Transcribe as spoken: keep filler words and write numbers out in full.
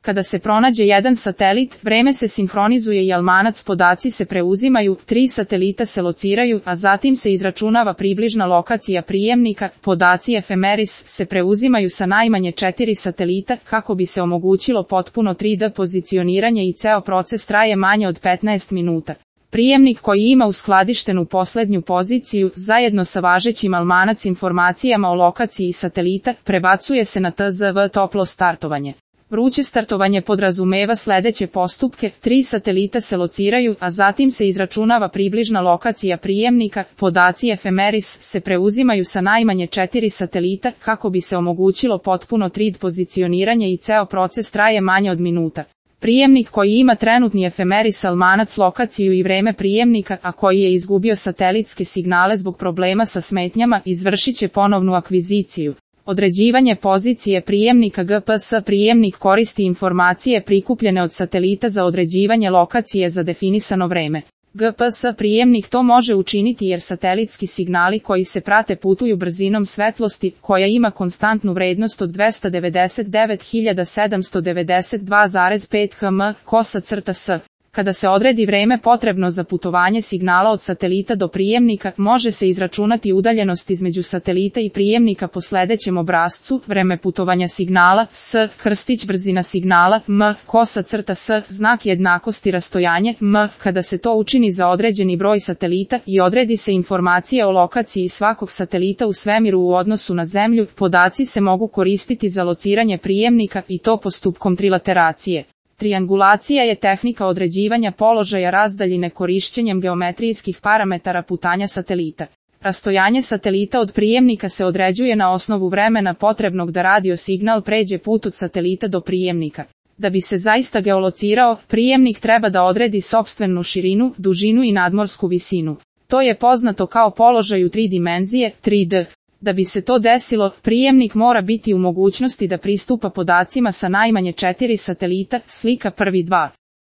Kada se pronađe jedan satelit, vreme se sinhronizuje i almanac, podaci se preuzimaju, tri satelita se lociraju, a zatim se izračunava približna lokacija prijemnika, podaci efemeris se preuzimaju sa najmanje četiri satelita, kako bi se omogućilo potpuno tri D pozicioniranje i ceo proces traje manje od petnaest minuta. Prijemnik koji ima uskladištenu poslednju poziciju, zajedno sa važećim almanac informacijama o lokaciji satelita, prebacuje se na T Z V toplo startovanje. Vruće startovanje podrazumeva sledeće postupke, tri satelita se lociraju, a zatim se izračunava približna lokacija prijemnika, podaci efemeris se preuzimaju sa najmanje četiri satelita, kako bi se omogućilo potpuno tri D pozicioniranje i ceo proces traje manje od minuta. Prijemnik koji ima trenutni efemeris almanac lokaciju i vreme prijemnika, a koji je izgubio satelitske signale zbog problema sa smetnjama, izvršit će ponovnu akviziciju. Određivanje pozicije prijemnika G P S. Prijemnik koristi informacije prikupljene od satelita za određivanje lokacije za definisano vreme. G P S prijemnik to može učiniti jer satelitski signali koji se prate putuju brzinom svetlosti, koja ima konstantnu vrednost od dvesta devedeset devet hiljada sedamsto devedeset dva zarez pet kilometara kosa crta s. Kada se odredi vreme potrebno za putovanje signala od satelita do prijemnika, može se izračunati udaljenost između satelita i prijemnika po sledećem obrascu: vreme putovanja signala s, krstić brzina signala m, kosa crta s, znak jednakosti rastojanje m. Kada se to učini za određeni broj satelita i odredi se informacija o lokaciji svakog satelita u svemiru u odnosu na Zemlju, podaci se mogu koristiti za lociranje prijemnika i to postupkom trilateracije. Triangulacija je tehnika određivanja položaja razdaljine korišćenjem geometrijskih parametara putanja satelita. Rastojanje satelita od prijemnika se određuje na osnovu vremena potrebnog da radio signal pređe put od satelita do prijemnika. Da bi se zaista geolocirao, prijemnik treba da odredi sopstvenu širinu, dužinu i nadmorsku visinu. To je poznato kao položaj u tri dimenzije, tri D. Da bi se to desilo, prijemnik mora biti u mogućnosti da pristupa podacima sa najmanje četiri satelita, slika prvi dva.